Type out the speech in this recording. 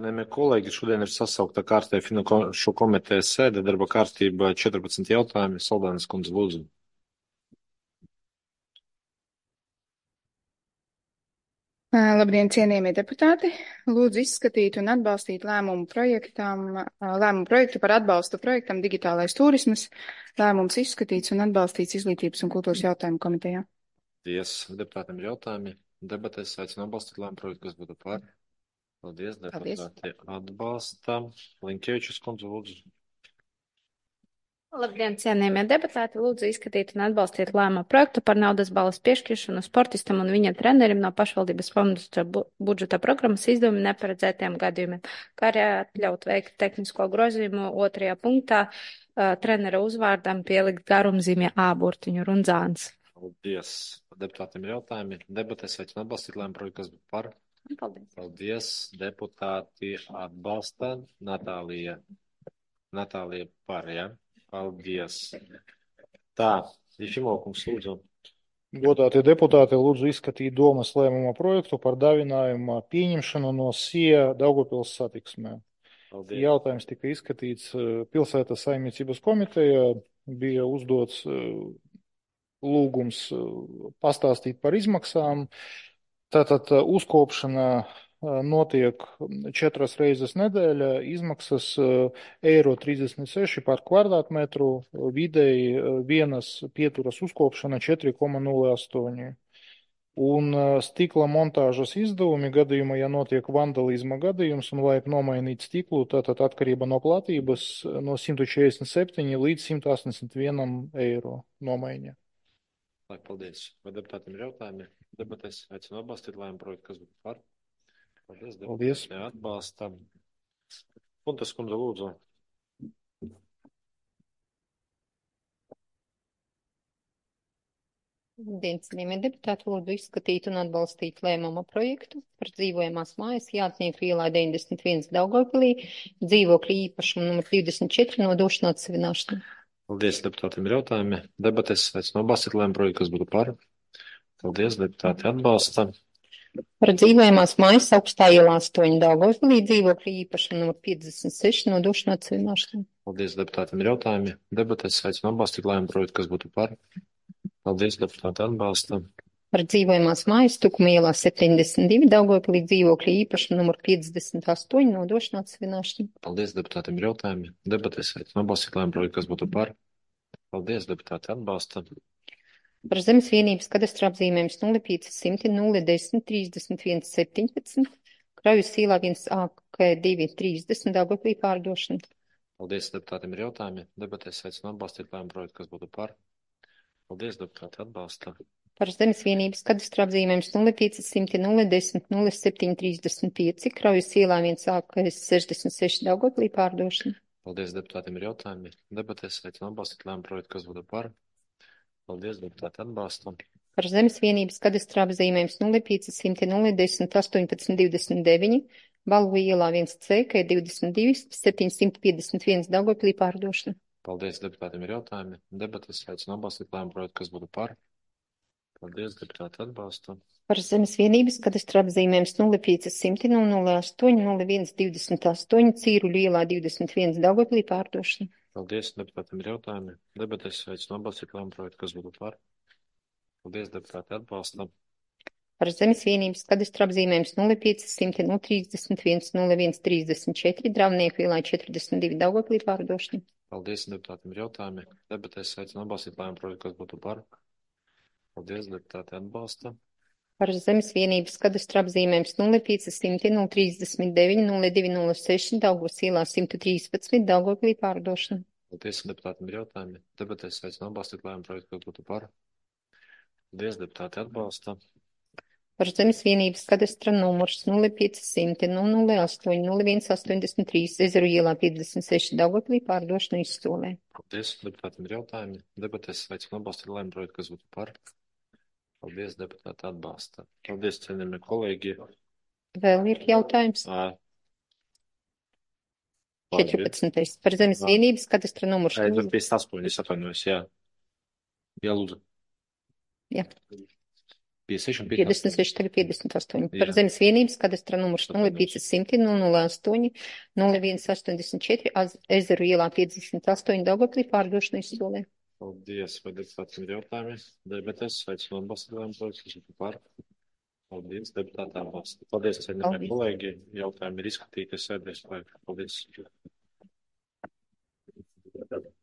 Cienījamie kolēģi, šodien ir sasaukta kārtēja finanšu komitejas sēde, darba kārtība 14 jautājumi. Saldānes kundze, lūdzu. Labdien, cienījamie deputāti! Lūdzu izskatīt un atbalstīt lēmumu projektu par atbalstu projektam Digitālais turismas. Lēmums izskatīts un atbalstīts Izglītības un kultūras jautājumu komitejā. Paldies. Deputātiem ir jautājumi. Debatēs aicinu atbalstīt lēmumu projektu, kas būtu par. Paldies. Deputāti atbalsta. Linkevičus kundze, lūdzu. Labdien, cienījamie deputāti! Lūdzu izskatīt un atbalstīt lēmumu projektu par naudas balvas piešķiršanu sportistam un viņa trenerim no pašvaldības fonda budžeta programmas izdevumi neparedzētiem gadījumiem, kā arī atļaut veikt tehnisko grozījumu 2. punktā trenera uzvārdam pielikt garumzīmē A burtiņu Runzāns. Paldies. Deputātiem ir jautājumi. Debatēs aicinu atbalstīt lēmumu projektu, kas būtu par. Paldies. Paldies. Deputāti atbalsta. Natālija par, ja? Paldies. Tā, Jefimokungs, lūdzu. Godātie deputāti, lūdzu izskatīt domas lēmuma projektu par dāvinājuma pieņemšanu no SIA Daugavpils satiksmē. Paldies. Jautājums tika izskatīts pilsētas saimniecības komitejā, bija uzdots lūgums pastāstīt par izmaksām. Tātad uzkopšana notiek 4 reizes nedēļā, izmaksas €36 par kvadrātmetru, vidēji vienas pieturas uzkopšana 4,08. Un stikla montāžas izdevumi gadījumā, ja notiek vandalisma gadījums un vajag nomainīt stiklu, tātad atkarība no platības no 147 līdz €181 nomaiņa. Paldies. Vai deputātiem ir jautājumi? Debatēs aicinu atbalstīt lēmumu projektu, kas būtu par. Paldies. Paldies. Atbalstam. Puntas kundze, lūdzu. Labdien, cienījamie deputāti, lūdzu izskatīt un atbalstīt lēmuma projektu par dzīvojamās mājas Jātnieku ielā 91 Daugavpilī, dzīvokļu īpašumu numur 24 nodošanu atsevināšanu. Paldies, deputātiem ir jautājumi. Debatēs aicinu atbalstīt lēmumu projektu, kas būtu par. Paldies, deputāti atbalsta. Par dzīvojamās mājas Augstā ielā 8 Daugavpilī, dzīvokļu īpašumu numur 56 nodošanu atsevināšanu. Paldies, deputātiem ir jautājumi. Debatēs aicinu atbalstīt lēmumu projektu, kas būtu par. Paldies, deputāti atbalsta. Par dzīvojamās mājas Tukuma ielā 72 Daugavpilī, dzīvokļu īpašumu numur 58 nodošanu atsevināšanu. Paldies, deputātiem ir jautājumi. Debatēs aicinu atbalstīt lēmumu projektu, kas būtu par. Paldies, deputāti atbalsta. Par zemes vienības kadastra apzīmējums 0500 010 31 17, Kraujas ielā 1AK2 30 Daugavpilī pārdošana. Paldies, deputātiem ir jautājumi. Debatēs aicinu atbalstīt lēmumu projektu, kas būtu par. Paldies, deputāti atbalsta. Par zemes vienības kadastra apzīmējums 0500 010 07 35, Kraujas ielā 1AK66 Daugavpilī pārdošana. Paldies, deputātiem ir jautājumi. Debatēs aicinu atbalstīt lēmumu projektu, kas būtu par. Paldies, deputāti atbalsta. Par zemes vienības kadastra apzīmējums 0500 010 18 29, Balvu ielā 1C, K22 751 Daugavpilī pārdošana. Paldies, deputātiem ir jautājumi. Debatēs aicinu atbalstīt lēmumu projektu, kas būtu par. Paldies, deputāti atbalsta. Par zemes vienības kadastra apzīmējums 0500 008 01 28, Cīruļu ielā 21 Daugavpilī pārdošana. Paldies, deputātiem ir jautājumi. Debatēs aicinu atbalstīt lēmumu projektu, kas būtu par. Paldies, deputāti atbalsta. Par zemes vienības kadastra apzīmējums 0500 031 01 34, Dravnieku ielā 42 Daugavpilī pārdošana. Paldies, deputātiem ir jautājumi. Debatēs aicinu atbalstīt lēmumu projektu, kas būtu par. Paldies, deputāti atbalsta. Par zemes vienības kadastra apzīmējums 0500 039 0206, Daugavas ielā 113 Daugavpilī pārdošana. Paldies, deputātiem ir jautājumi. Debatēs aicinu atbalstīt lēmumu projektu, kas būtu par. Paldies, deputāti atbalsta. Par zemes vienības kadastra numurs 0500 008 01 83, Ezeru ielā 56 Daugavpilī pārdošana izsolē. Paldies, deputātiem ir jautājumi. Debatēs aicinu atbalstīt lēmumu projektu, kas būtu par. Paldies, deputāti atbalsta. Paldies, cienījamie kolēģi. Vēl ir jautājums? 14. Par zemes vienības kadastra numurs. 58, es atvainojos, jā. Jā, lūdzu. Jā. 56 un 56, tagad 58. Par Jā. zemes vienības kadastra numurs 0500 008 0184 Ezeru ielā 58 Daugavpilī pārdošanu izsolē. Paldies. Vai deputātiem ir jautājumi? Debatēs aicinu atbalstīt lēmumu projektu, kas ir par. Paldies, deputātām atbalstīt. Paldies, cienījamie kolēģi. Jautājumi ir izskatīti, sēdēs. Paldies.